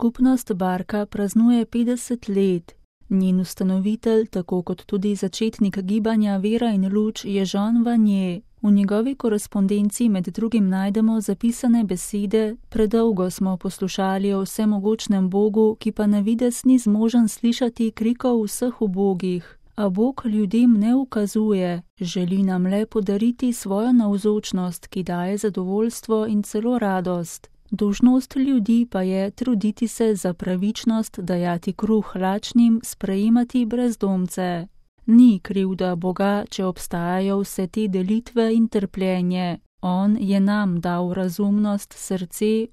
Skupnost Barka praznuje 50 let. Njen ustanovitelj, tako kot tudi začetnik gibanja Vera in luč, je Jean Vanier. V njegovi korespondenci med drugim najdemo zapisane besede: predolgo smo poslušali o vsemogočnem Bogu, ki pa na videz ni zmožen slišati krikov vseh ubogih. A Bog ljudem ne ukazuje, želi nam le podariti svojo navzočnost, ki daje zadovoljstvo in celo radost. Dolžnost ljudi pa je truditi se za pravičnost, dajati kruh lačnim, sprejemati brezdomce. Ni krivda Boga, če obstajajo vse te delitve in trpljenje. On je nam dal razumnost, srce,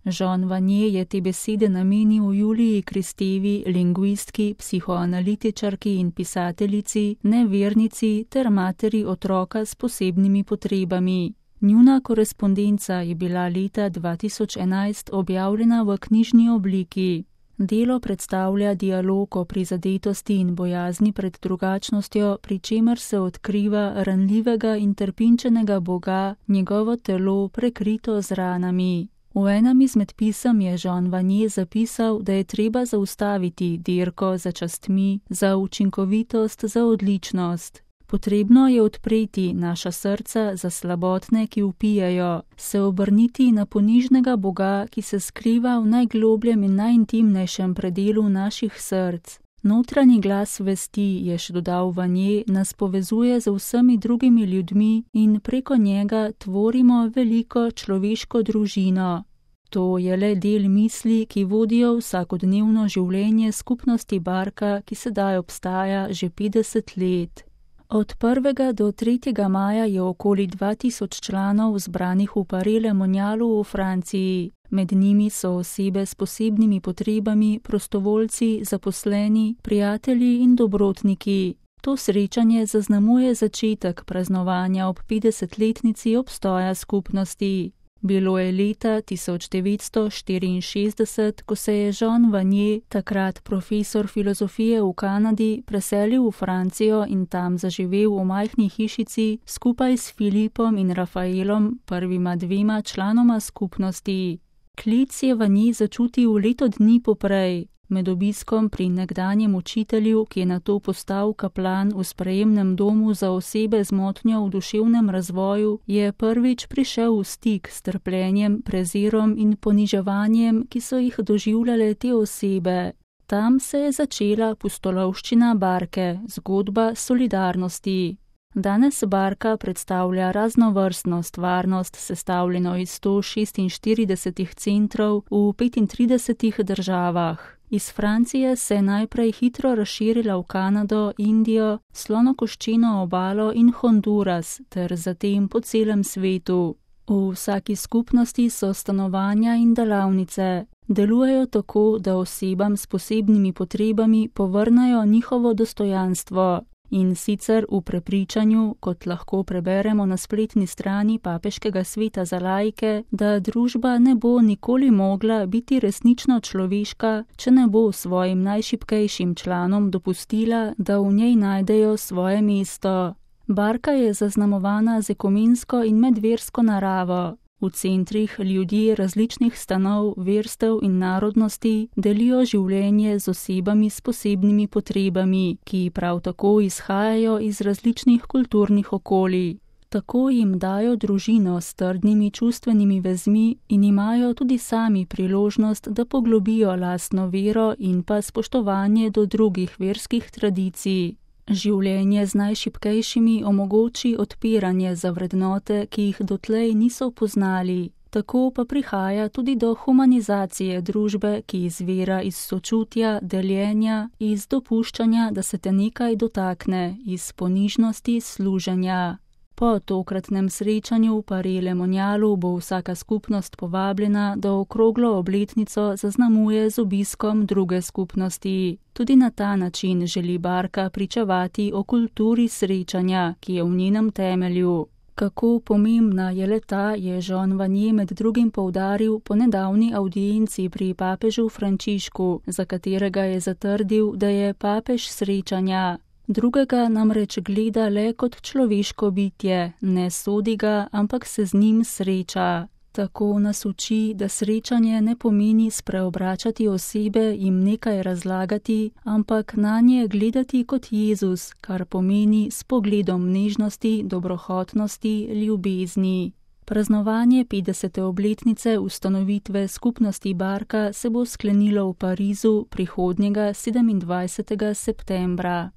Jean Vanier je te besede namenil Juliji Kristevi, lingvistki, psihoanalitičarki in pisateljici, nevernici ter materi otroka s posebnimi potrebami. Njuna korespondenca je bila leta 2011 objavljena v knjižni obliki. Delo predstavlja dialog o prizadetosti in bojazni pred drugačnostjo, pri čemer se odkriva ranljivega in trpinčenega Boga, njegovo telo prekrito z ranami. V enem izmed pisem je Jean Vanier zapisal, da je treba zaustaviti dirko za častmi, za učinkovitost, za odličnost. Potrebno je odpreti naša srca za slabotne, ki vpijajo, se obrniti na ponižnega Boga, ki se skriva v najglobljem in najintimnejšem predelu naših src. Notranji glas vesti, je še dodal Vanier, nas povezuje z vsemi drugimi ljudmi in preko njega tvorimo veliko človeško družino. To je le del misli, ki vodijo vsakodnevno življenje skupnosti Barka, ki sedaj obstaja že 50 let. Od 1. do 3. maja je okoli 2000 članov zbranih v Paris-le-Monialu v Franciji. Med njimi so osebe s posebnimi potrebami, prostovoljci, zaposleni, prijatelji in dobrotniki. To srečanje zaznamuje začetek praznovanja ob 50-letnici obstoja skupnosti. Bilo je leta 1964, ko se je Jean Vanier, takrat profesor filozofije v Kanadi, preselil v Francijo in tam zaživel v majhni hišici skupaj s Filipom in Rafaelom, prvima dvema članoma skupnosti. Klic je Vanier začutil leto dni poprej. Med obiskom pri nekdanjem učitelju, ki je nato postal kaplan v sprejemnem domu za osebe z motnjo v duševnem razvoju, je prvič prišel v stik s trpljenjem, prezirom in poniževanjem, ki so jih doživljale te osebe. Tam se je začela pustolovščina Barke, zgodba solidarnosti. Danes Barka predstavlja raznovrstno stvarnost, sestavljeno iz 146 centrov v 35 državah. Iz Francije se je najprej hitro razširila v Kanado, Indijo, Slonokoščeno obalo in Honduras, ter zatem po celem svetu. V vsaki skupnosti so stanovanja in delavnice. Delujejo tako, da osebam s posebnimi potrebami povrnajo njihovo dostojanstvo. In sicer v prepričanju, kot lahko preberemo na spletni strani Papeškega sveta za laike, da družba ne bo nikoli mogla biti resnično človeška, če ne bo svojim najšibkejšim članom dopustila, da v njej najdejo svoje mesto. Barka je zaznamovana z ekumensko in medversko naravo. V centrih ljudje različnih stanov, verstev in narodnosti delijo življenje z osebami s posebnimi potrebami, ki prav tako izhajajo iz različnih kulturnih okolij. Tako jim dajo družino s trdnimi čustvenimi vezmi in imajo tudi sami priložnost, da poglobijo lastno vero in pa spoštovanje do drugih verskih tradicij. Življenje z najšibkejšimi omogoči odpiranje za vrednote, ki jih dotlej niso poznali. Tako pa prihaja tudi do humanizacije družbe, ki izvira iz sočutja, deljenja, iz dopuščanja, da se te nekaj dotakne, iz ponižnosti služenja. Po tokratnem srečanju v Paris-le-Monialu bo vsaka skupnost povabljena, da okroglo obletnico zaznamuje z obiskom druge skupnosti. Tudi na ta način želi Barka pričevati o kulturi srečanja, ki je v njenem temelju. Kako pomembna je le-ta, je Jean Vanier med drugim poudaril po nedavni avdienci pri papežu Frančišku, za katerega je zatrdil, da je papež srečanja. Drugega namreč gleda le kot človeško bitje, ne sodi ga, ampak se z njim sreča. Tako nas uči, da srečanje ne pomeni spreobračati osebe, jim nekaj razlagati, ampak nanje gledati kot Jezus, kar pomeni s pogledom nežnosti, dobrohotnosti, ljubezni. Praznovanje 50. obletnice ustanovitve skupnosti Barka se bo sklenilo v Parizu prihodnjega 27. septembra.